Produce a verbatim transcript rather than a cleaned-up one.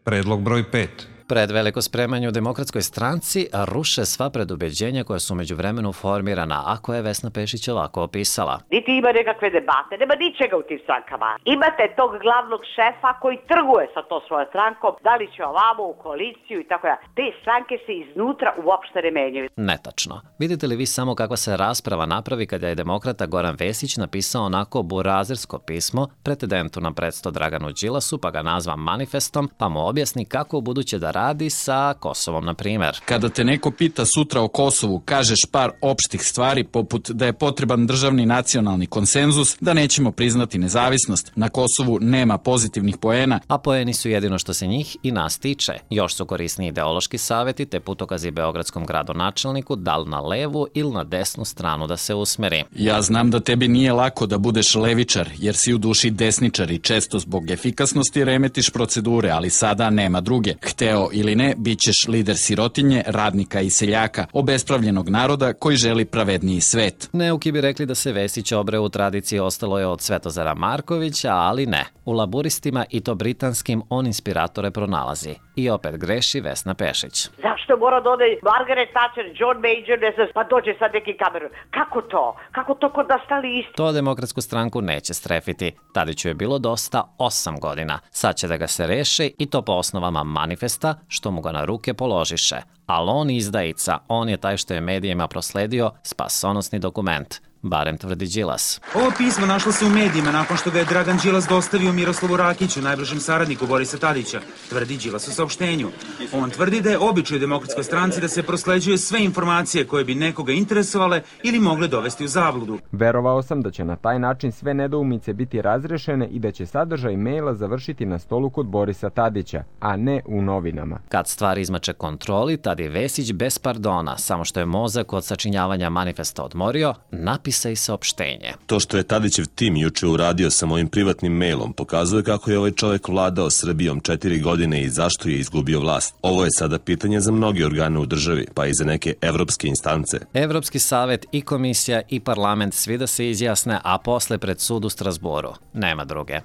Predlog broj pet. Pred veliko spremanje u Demokratskoj stranci ruše sva predubeđenja koja su međuvremenu formirana, a koje je Vesna Pešić ovako opisala. Niti ima nekakve debate, nema ničega u tim strankama. Imate tog glavnog šefa koji trguje sa to svojom strankom, da li će ovamo u koaliciju i tako da. Te stranke se iznutra uopšte ne menjaju. Netačno. Vidite li vi samo kakva se rasprava napravi kada je demokrata Goran Vesić napisao onako burazersko pismo pretendentu na predsto Draganu Đilasu, pa ga nazva manifestom, pa mu objasni kako u buduće da radi sa Kosovom, na primjer. Kada te neko pita sutra o Kosovu, kažeš par opštih stvari poput da je potreban državni nacionalni konsenzus, da nećemo priznati nezavisnost, na Kosovu nema pozitivnih poena. A poeni su jedino što se njih i nas tiče. Još su korisni ideološki savjeti te putokazi beogradskom gradonačelniku da li na levu ili na desnu stranu da se usmeri. Ja znam da tebi nije lako da budeš levičar, jer si u duši desničar i često zbog efikasnosti remetiš procedure, ali sada nema druge. Hteo ili ne, bit ćeš lider sirotinje, radnika i seljaka, obespravljenog naroda koji želi pravedniji svet. Neuki bi rekli da se Vesić obreo u tradiciji ostalo je od Svetozara Markovića, ali ne. U laburistima i to britanskim on inspiratore pronalazi. I opet greši Vesna Pešić. Zašto mora da ode Margaret Thatcher, John Major, ne znam, pa dođe sad neki kameru? Kako to? Kako to kod nas stali isti? To Demokratsku stranku neće strefiti. Tadiću je bilo dosta osam godina. Sad će da ga se reše i to po osnovama manifesta, što mu ga na ruke položiše. Ali on izdajica, on je taj što je medijima prosledio spasonosni dokument. Barem tvrdi Đilas. Ovo pismo našlo se u medijima nakon što ga je Dragan Đilas dostavio Miroslavu Rakiću, najbližem saradniku Borisa Tadića, tvrdi Đilas u saopštenju. On tvrdi da je običaj u Demokratskoj stranci da se prosleđuje sve informacije koje bi nekoga interesovale ili mogle dovesti u zabludu. Verovao sam da će na taj način sve nedoumice biti razrešene i da će sadržaj maila završiti na stolu kod Borisa Tadića, a ne u novinama. Kad stvari izmače kontroli, tad je Vesić bez pardona, samo što je mozak od sačinjavanja manifesta odmorio, napisa i saopštenje. To što je Tadićev tim juče uradio sa mojim privatnim mailom pokazuje kako je ovaj čovjek vladao Srbijom četiri godine i zašto je izgubio vlast. Ovo je sada pitanje za mnoge organe u državi, pa i za neke evropske instance. Evropski savet i komisija i parlament svi da se izjasne, a posle pred sud u Strasboru. Nema druge.